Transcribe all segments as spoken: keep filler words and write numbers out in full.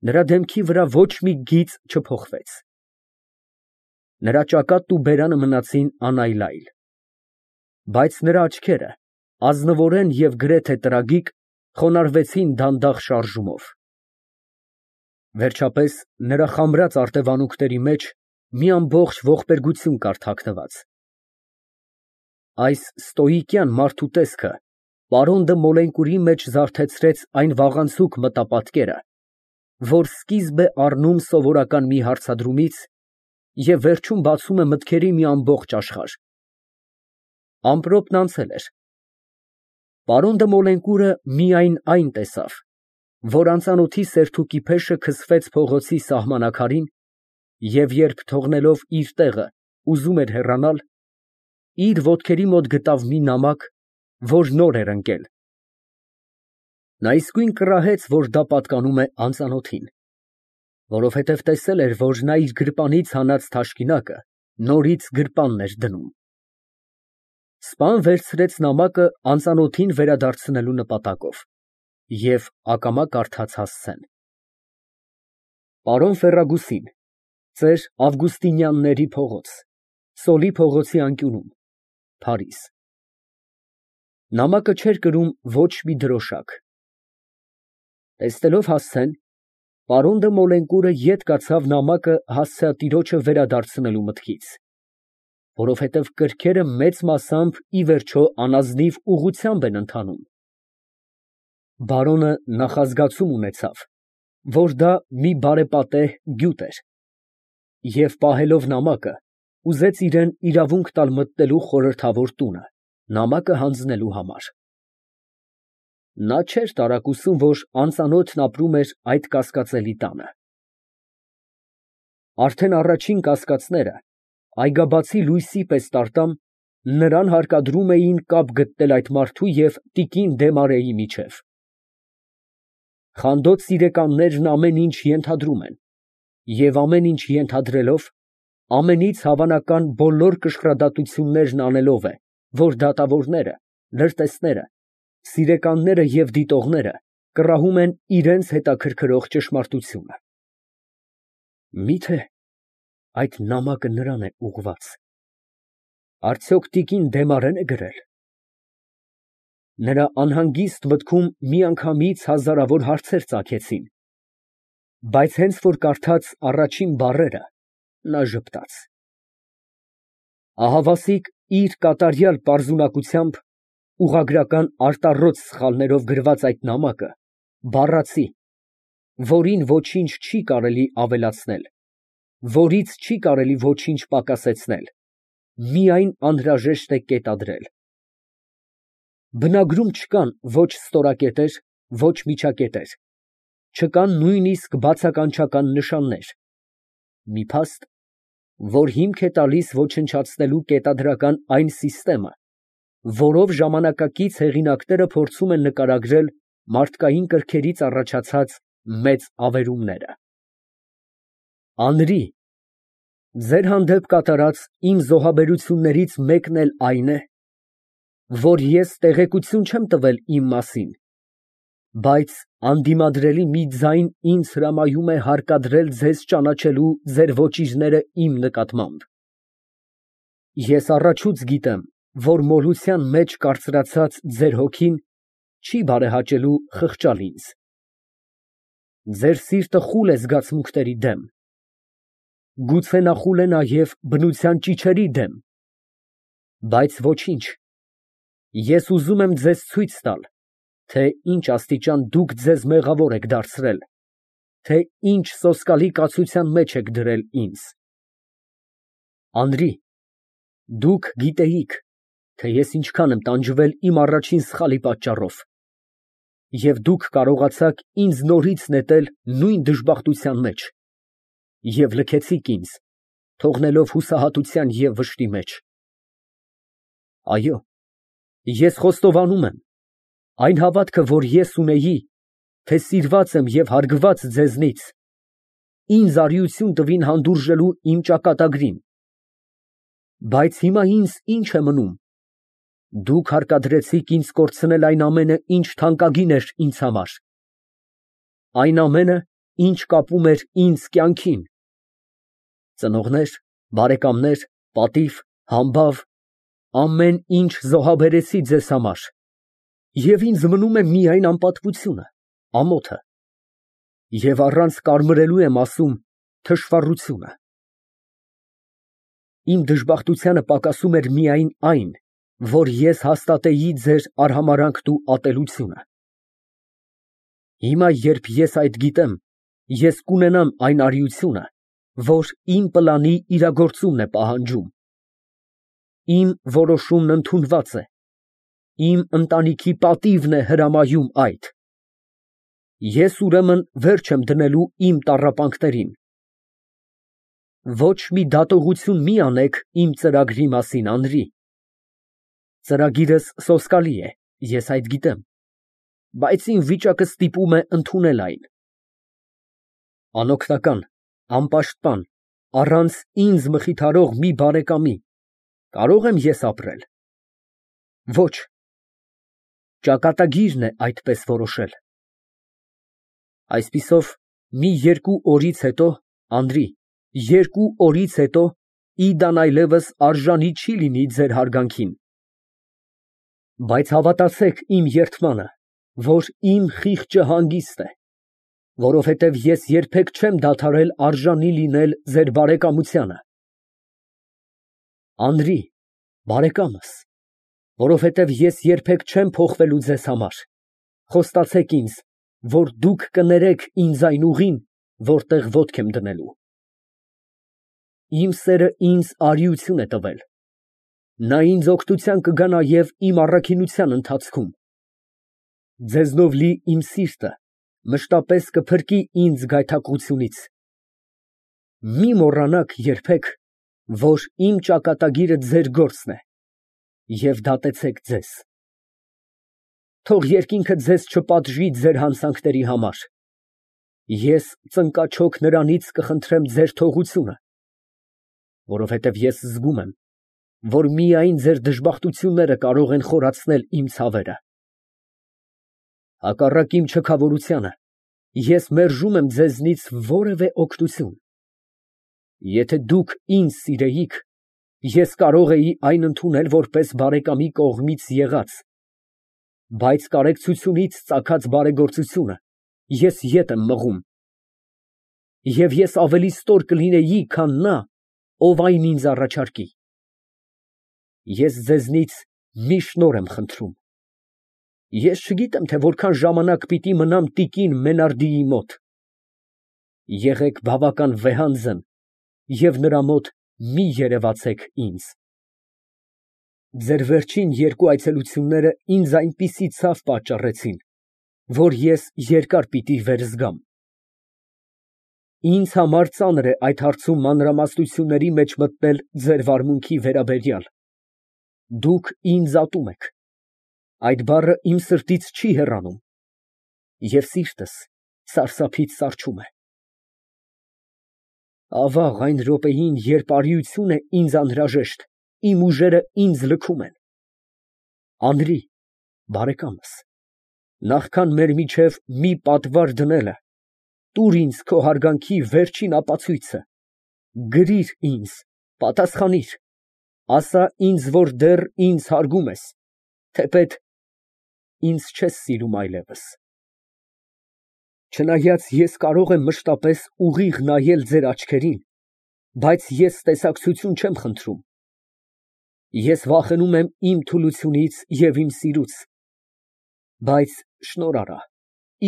Նրա դեմքի վրա ոչ մի գիծ չփոխվեց։ Նրա ճակատն ու բերանը մնացին անայլայլ, բայց նրա աչքերը, ազնվորեն և գրեթե տրագիկ, խոնարհվեցին դանդաղ շարժումով։ Վերջապես, նրա խամրած արտևանունքների մեջ մի ամբողջ ողբերգություն կար թաքնված։ Այս ստոիկյան մարդու տեսքը պարոն դը Մոլենկուրի մեջ զարթեցրեց այն վաղանցուկ մտապատկերը, որ սկիզբ է առնում սովորական մի հարցադրումից և վերջում բացում է մտքերի մի ամբողջ աշխարհ։ Ամպրոպն անցել էր։ Պարոն դը Մոլենկուրը միայն այն տեսավ, որ անծանոթի սերթուկի փեշը քսվեց փողոցի սահմանակարին, և երբ թողնելով իր տեղը ուզում էր հեռանալ, իր ոտքերի մոտ գտավ մի նամակ, որ նոր էր ընկել։ Նա իսկույն կռահեց, որ դա պատկանում է անծանոթին, որովհետև տեսել էր, որ նա իր գրպանից հանած թաշկինակը նորից գրպանն էր դնում։ Սպան վերցրեց նամակը անծանոթին վերադարձնելու նպատակով և ակամա կարդաց հասցեն. Պարոն Ֆերրագուսին, Ծեր Ավգուստինյանների փողոց, Սոլի փողոցի անկյունում, Փարիզ։ Նամակը չէր կրում ոչ մի դրոշակ։ Տեսնելով հասցեն, պարոն դը Մոլենկուրը ետ կացավ նամակը հասցեատիրոջը վերադարձնելու մտքից, որովհետև կրքերը մեծ մասամբ ի վերջո անազնիվ ուղղությամբ են ընթանում։ Բարոնը նախազգացում ունեցավ, որ դա մի բարեպատեհ գյուտ էր, և պահելով նամակը, ուզեց իրան իրավունք տալ մտնելու խորհրդավոր տունը, նամակը հանձնելու համար։ Նա չէր տարակուսում, որ անծանոթն ապրում էր այդ կասկածելի տանը։ Արդեն առաջին կասկածները, այգաբացի լույսի պես տարտամ, նրան հարկադրում էին կապ գտնել այդ մարդու և տիկին Դեմարեի միջև։ Խանդոտ սիրեկաններն ամեն ինչ ենթադրում են, և ամեն ինչ ենթադրելով, ամենից հավանական բոլոր կշռադատություններն անելով է, որ դատավորները, լրտեսները, սիրեկանները և դիտողները կռահում են իրենց հետաքրքրող ճշմարտությունը։ Մի՞թե այդ նամակը նրան է ուղղված։ Արդյոք տիկին Դեմարե՞ն է գրել։ Նրա անհանգիստ մտքում միանգամից հազարավոր հարցեր ծագեցին, բայց հենց որ կարդաց առաջին բառերը, նա ժպտաց։ Ահավասիկ իր կատարյալ պարզունակությամբ ուղղագրական արտառոց սխալներով գրված այդ նամակը բառացի, որին ոչինչ չի կարելի ավելացնել, որից չի կարելի ոչինչ պակասեցնել, միայն անհրաժեշտ է կետադրել։ Բնագրում չկան ոչ ստորակետեր, ոչ միջակետեր, չկան նույնիսկ բացականչական նշաններ, մի փաստ, որ հիմք է տալիս ոչնչացնելու կետադրական այն սիստեմը, որով ժամանակակից հեղինակները փորձում են նկարագրել մարդկային կրքերից առաջացած մեծ ավերումները։ Անրի, ձեր հանդեպ կատարած իմ զոհաբերություններից մեկն էլ այն է, որ ես տեղեկություն չեմ տվել իմ մասին, բայց անդիմադրելի մի ձայն ինձ հրամայում է հարկադրել ձեզ ճանաչելու ձեր ոճիրները իմ նկատմամբ։ Ես առաջուց գիտեմ, որ մոլության մեջ կարծրացած ձեր հոգին չի բարեհաճելու խղճալ ինձ։ Ձեր սիրտը խուլ է զգացմունքների դեմ, գուցե նա խուլ է նաև բնության ճիչերի դեմ, բայց ոչինչ, ես ուզում եմ ձեզ ցույց տալ, թե ինչ աստիճան դուք ձեզ մեղավոր եք դարձրել, թե ինչ սոսկալի կացության մեջ եք դրել ինձ։ Անրի, դուք գիտեիք, թե ես ինչքան եմ տանջվել իմ առաջին սխալի պատճառով, և դուք կարողացաք ինձ նորից նետել նույն դժբախտության մեջ և լքեցիք ինձ, թողնելով հուսահատության և վշտի մեջ։ Այո, ես խոստովանում եմ, այն հավատքը, որ ես ունեի, թե սիրված եմ և հարգված ձեզնից, ինձ արիություն տվին հանդուրժելու իմ ճակատագրին։ Բայց հիմա ինձ ի՞նչ է մնում։ Դուք հարկադրեցիք ինձ կորցնել այն ամենը, ինչ թանկագին էր ինձ համար, այն ամենը, ինչ կապում էր ինձ կյանքին։ Ծնողներ, բարեկամներ, պատիվ, համբավ, ամեն ինչ զոհաբերեցի ձեզ համար, և ինձ մնում է միայն անպատվությունը, ամոթը, և առանց կարմրելու եմ ասում, թշվառությունը։ Իմ դժբախտությանը պակասում էր միայն այն, որ ես հաստատեի ձեր արհամարհանքն ու ատելությունը։ Հիմա, երբ ես այդ գիտեմ, ես կունենամ այն արիությունը, որ իմ պլանի իրագործումն է պահանջում։ Իմ որոշումն ընդունված է, իմ ընտանիքի պատիվն է հրամայում այդ։ Ես ուրեմն վերջ եմ դնելու իմ տառապանքներին։ Ոչ մի դատողություն մի անեք իմ ծրագրի մասին, Անրի։ Ծրագիրս սոսկալի է, ես այդ գիտեմ, բայց իմ վիճակը ստիպում է ընդունել այն։ Անօգնական, անպաշտպան, առանց ինձ մխիթարող մի բարեկամի կարո՞ղ եմ ես ապրել։ Ոչ, ճակատագիրն է այդպես որոշել։ Այսպիսով, մի երկու օրից հետո, Անրի, երկու օրից հետո Իդան այլևս արժանի չի լինի ձեր հարգանքին։ Բայց հավատացեք իմ երդմանը, որ իմ խիղճը հանգիստ է, որովհետև ես երբեք չեմ դադարել արժանի լինել ձեր բարեկամությանը։ Անրի, բարեկամս, որովհետև ես երբեք չեմ փոխվելու ձեզ համար, խոստացեք ինձ, որ դուք կներեք ինձ այն ուղին, որտեղ ոտք եմ դնելու։ Իմ սերը ինձ արիություն է տվել, նա ինձ օգնության կգա նաև իմ առաքինության ընթացքում։ Ձեզնով լի իմ սիրտը մշտապես կփրկի ինձ գայթակղությունից։ Մի մոռանաք երբեք, որ իմ ճակատագիրը ձեր գործն է, և դատեցեք ձեզ։ Թող երկինքը ձեզ չպատժի ձեր հանցանքների համար։ Ես ծնկաչոք նրանից կխնդրեմ ձեր թողությունը, որովհետև ես զգում եմ, որ միայն ձեր դժբախտությունները կարող են խորացնել իմ ցավերը։ Հակառակ իմ չքավորությանը, ես մերժում եմ ձեզնից որևէ օգնություն։ Եթե դուք ինձ սիրեիք, ես կարող էի այն ընդունել որպես բարեկամի կողմից եղած, բայց կարեկցությունից ծագած բարեգործությունը ես ետ եմ մղում, և ես ավելի ստոր կլինեի, քան նա, ով այն ինձ առաջարկի։ Ես ձեզնից մի շնորհ եմ խնդրում. ես չգիտեմ, թե որքան ժամանակ պիտի մնամ տիկին Մենարդիի մոտ։ Եղեք բավական վեհանձն և նրա մոտ մի երևացեք ինձ։ Ձեր վերջին երկու այցելությունները ինձ այնպիսի ցավ պատճառեցին, որ ես երկար պիտի վերզգամ։ Ինձ համար ծանր է այդ հարցում մանրամասնությունների մեջ մտնել ձեր վարմունքի վերաբերյալ։ Դուք ինձ ատում եք, այդ բառը իմ սրտից չի հեռանում, և սիրտս սարսափից սառչում է։ Ավաղ, այն րոպեին, երբ արիություն է ինձ անհրաժեշտ, իմ ուժերը ինձ լքում են։ Անրի, բարեկամս, նախքան մեր միջև մի պատվար դնելը, տուր ինձ քո հարգանքի վերջին ապացույցը, գրիր ինձ, պատասխանիր, ասա ինձ, որ դեռ ինձ հարգում ես, թեպետ ինձ չես սիրում այլևս։ Չնայած ես կարող եմ մշտապես ուղիղ նայել ձեր աչքերին, բայց ես տեսակցություն չեմ խնդրում։ Ես վախենում եմ իմ թուլությունից և իմ սիրուց, բայց շնորհ արա,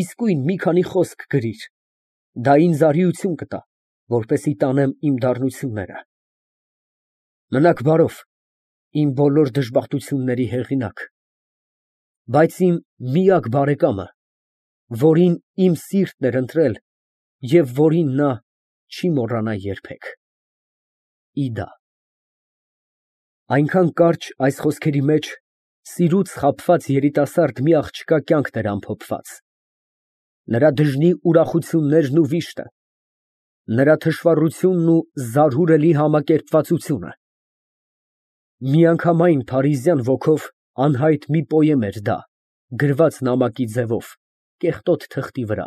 իսկույն մի քանի խոսք գրիր, դա ինձ արիություն կտա, որպեսզի տանեմ իմ դառնությունները։ Մնաք բարով, իմ բոլոր դժբախտությունների հեղինակ, բայց իմ միակ բարեկամը, որին իմ սիրտն էր ընտրել և որին նա չի մոռանա երբեք։ Իդա։ Այնքան կարճ այս խոսքերի մեջ սիրուց խաբված երիտասարդ մի աղջկա կյանքն էր ամփոփված, նրա դժնի ուրախություններն ու վիշտը, նրա թշվառությունն ու զարհուրելի համակերպվածությունը։ Միանգամայն փարիզյան ոգով անհայտ մի պոեմ էր դա, գրված նամակի ձևով, կեղտոտ թղթի վրա։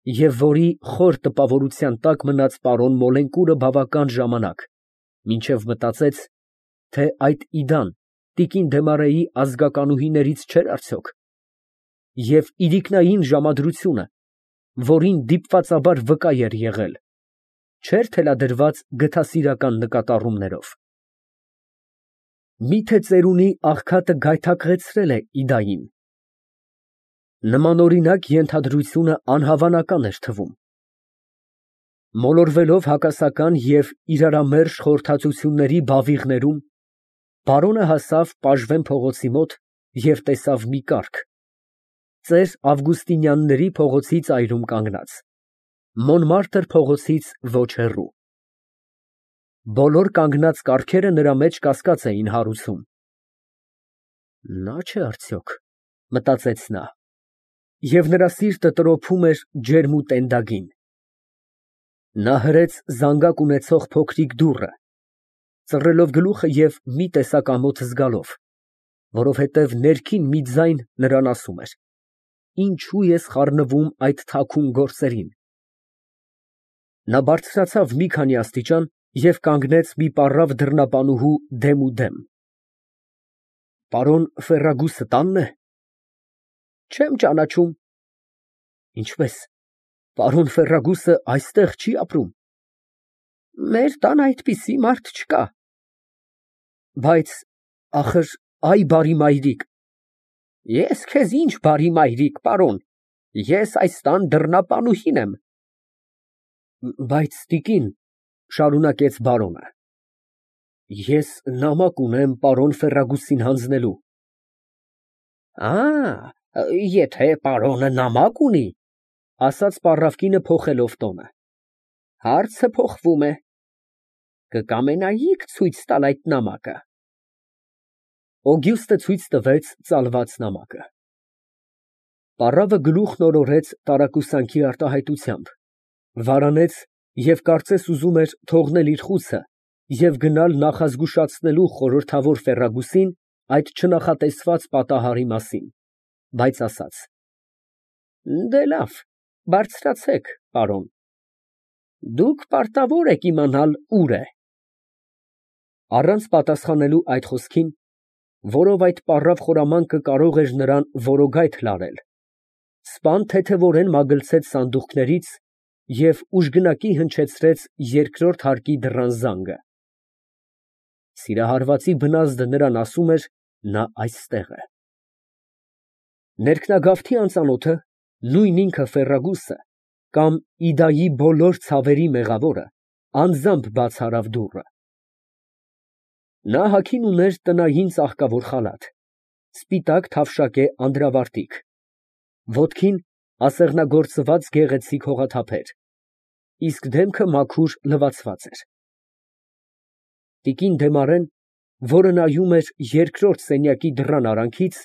և որի խոր տպավորության տակ մնաց պարոն Մոլենկուրը բավական ժամանակ, մինչև մտածեց, թե այդ Իդան տիկին Դեմարեի ազգականուհիներից չէր արդյոք, և իրիկնային ժամադրությունը, որին դիպվածաբար վկա էր եղել, չէր թելադրված գթասիրական նկատառումներով։ Մի՞թե ծերունի աղքատը գայթակղեցրել է Իդային։ Նմանօրինակ ենթադրությունը անհավանական էր թվում։ Մոլորվելով հակասական և իրարամերժ խորհրդածությունների բավիղներում, պարոնը հասավ Պաժվեն փողոցի մոտ և տեսավ մի կառք, ծեր Ավգուստինյանների փողոցի ծայրում կանգնած, Մոնմարտր փողոցից ոչ հեռու։ Բոլոր կանգնած կառքերը նրա մեջ կասկած էին հարուցում։ «Նա՞ չէ արդյոք», մտածեց նա, և նրա սիրտը տրոփում էր ջերմ ու տենդագին։ Նա հրեց զանգակ ունեցող փոքրիկ դուռը, ծռելով գլուխը և մի տեսակ ամոթ զգալով, որովհետև ներքին մի ձայն նրան ասում էր. «Ինչո՞ւ ես խառնվում այդ թաքուն գործերին»։ Նա բարձրացավ մի քանի աստիճան և կանգնեց մի պառավ դռնապանուհու դեմուդեմ։ ֊ Պարոն Ֆերրագուսը տա՞նն է։ ֊ Չեմ ճանաչում։ ֊ Ինչպե՞ս, պարոն Ֆերրագուսը այստեղ չի ապրում։ ֊ Մեր տան այդպիսի մարդ չկա։ ֊ Բայց, ախր, այ բարի մայրիկ։ ֊ Ես քեզ ինչ բարի մայրիկ, պարոն, ես այս տան դռնապանուհին եմ։ ֊ Բայց, տիկին, ֊ շարունակեց բարոնը, ֊ ես նամակ ունեմ պարոն Ֆերրագուսին հանձնելու։ ֊ Ա, եթե պարոնը նամակ ունի, ֊ ասաց պառավ կինը փոխելով տոնը, ֊ հարցը փոխվում է. կկամենայի՞ք ցույց տալ այդ նամակը։ Օգյուստը ցույց տվեց ծալված նամակը։ Պառավը գլուխն օրորեց տարակուսանքի արտահայտությամբ, վարանեց և կարծես ուզում էր թողնել իր խուցը և գնալ նախազգուշացնելու խորհրդավոր Ֆերրագուսին այդ չնախատեսված պատահարի մասին, բայց ասաց. Դե լավ, բարձրացեք, պարոն, դուք պարտավոր եք իմանալ ուր է։ Առանց պատասխանելու այդ խոսքին, որով այդ պառավ խորամանկը կարող էր նրան որոգայթ լարել, սպան թեթևորեն մագլցեց սանդուղքներից և ուժգնակի հնչեցրեց երկրորդ հարկի դռան զանգը։ Սիրահարվածի բնազդը նրան ասում էր. նա այստեղ է։ Ներքնագավթի անծանոթը, նույն ինքը Ֆերրագուսը, կամ Իդայի բոլոր ցավերի մեղավորը, անձամբ բաց արավ դուռը։ Նա հագին ուներ տնային ծաղկավոր խալաթ, սպիտակ թավշակե անդրավարտիք, ոտքին ասեղնագործված գեղեցիկ հողաթափեր, իսկ դեմքը մաքուր լվացված էր։ Տիկին Դեմարեն, որը նայում էր երկրորդ սենյակի դռան արանքից,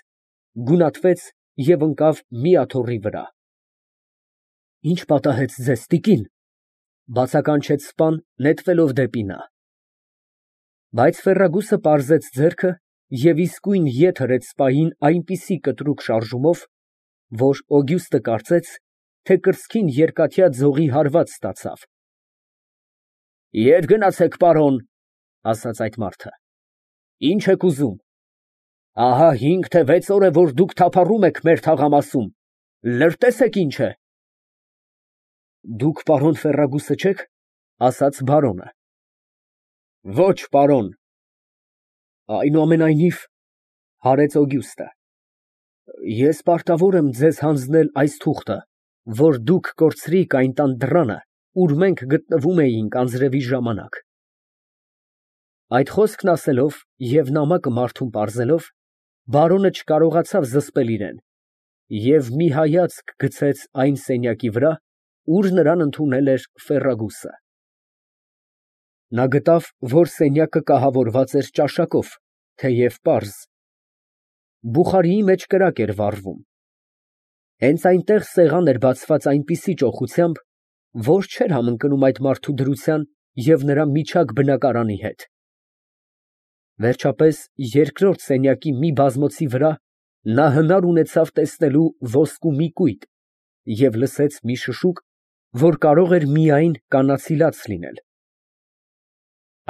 գունատվեց և ընկավ մի աթոռի վրա։ ֊ Ի՞նչ պատահեց ձեզ, տիկին, ֊ բացականչեց սպան, նետվելով դեպի նա։ Բայց Ֆերրագուսը պարզեց ձեռքը և իսկույն ետ հրեց սպային այնպիսի կտրուկ շարժումով, որ Օգյուստը կարծեց, թե կրծքին երկաթյա ձողի հարված ստացավ։ ֊ Ետ գնացեք, պարոն, ֊ ասաց այդ մարդը, ֊ ինչ եք ուզում։ Ահա հինգ թե վեց օր է, որ դուք թափառում եք մեր թաղամասում, լրտեսեք ինչ է։ ֊ Դուք պարոն Ֆերրագուսը չե՞ք, ֊ ասաց բարոնը։ ֊ Ոչ, պարոն։ ֊ Այնուամենայնիվ, ֊ հարեց Օգյուստը, ֊ ես պարտավոր եմ ձեզ հանձնել այս թուղթը, որ դուք կորցրիք այն տան դռանը, ուր մենք գտնվում էինք անձրևի ժամանակ։ Այդ խոսքն ասելով և նամակը մարդուն պարզելով, բարոնը չկարողացավ զսպել իրան և մի հայացք գցեց այն սենյակի վրա, ուր նրան ընդունել էր Ֆերրագուսը։ Նա գտավ, որ սենյակը կահավորված էր ճաշակով, թեև պարզ։ Բուխարիի մեջ կրակ էր վառվում։ Հենց այնտեղ սեղան էր բացված այնպիսի ճոխությամբ, որ չէր համընկնում այդ մարդու դրության և նրա միջակ բնակարանի հետ։ Վերջապես, երկրորդ սենյակի մի բազմոցի վրա նա հնար ունեցավ տեսնելու ոսկու մի կույտ և լսեց մի շշուկ, որ կարող էր միայն կանացի լաց լինել։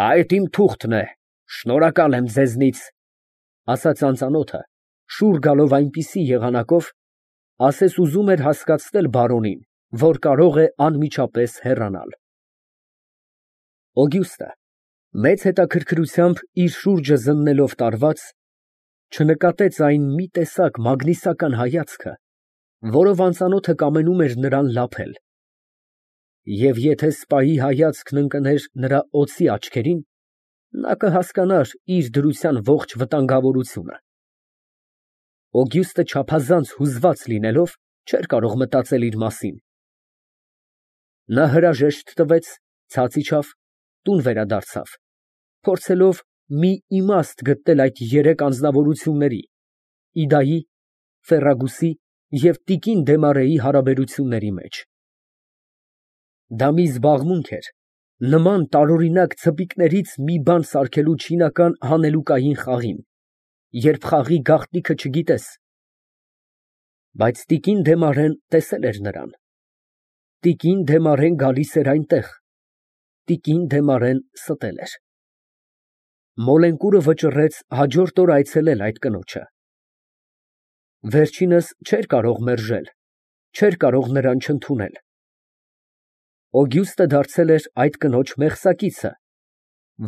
Այդ իմ թուղթն է, շնորհակալ եմ ձեզնից, ասաց անծանոթը, շուռ գալով այնպիսի եղանակով, ասես ուզում էր հասկացնել բարոնին, որ կարող է անմիջապես հեռանալ։ Օգյուստը, մեծ հետաքրքրությամբ իր շուրջը զննելով տարված, չնկատեց այն մի տեսակ մագնիսական հայացքը, որով անծանոթը կամենում էր նրան լափել, և եթե սպայի հայացքն ընկներ նրա օծի աչքերին, նա կհասկանար իր դրության ողջ վտանգավորությունը։ Օգյուստը չափազանց հուզված լինելով, չէր կարող մտածել իր մասին։ Նա հրաժեշտ տվեց, ցած իջավ, տուն վերադարձավ, փորձելով մի իմաստ գտնել այդ երեք անձնավորությունների՝ Իդայի, Ֆերրագուսի և տիկին Դեմարեի հարաբերությունների մեջ։ Դա մի զբաղմունք էր, նման տարօրինակ ցպիկներից մի բան սարքելու չինական հանելուկային խաղին, երբ խաղի գաղտնիքը չգիտես։ Բայց տիկին Դեմարեն տեսել էր նրան։ Տիկին Դեմարեն գալիս էր այնտեղ, տիկին Դեմարեն ստել էր։ Մոլենկուրը վճռեց հաջորդ օր այցելել այդ կնոջը։ Վերջինս չէր կարող մերժել, չէր կարող նրան չընդունել։ Օգյուստը դարձել էր այդ կնոջ մեղսակիցը,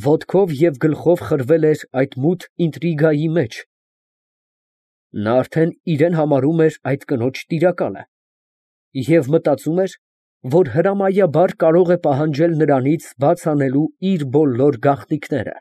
ոտքով և գլխով խրվել էր այդ մութ ինտրիգայի մեջ։ Նա արդեն իրան համարում էր այդ կնոջ տիրակալը և մտածում էր, որ հրամայաբար կարող է պահանջել նրանից բաց անելու իր բոլոր գաղտնիքները։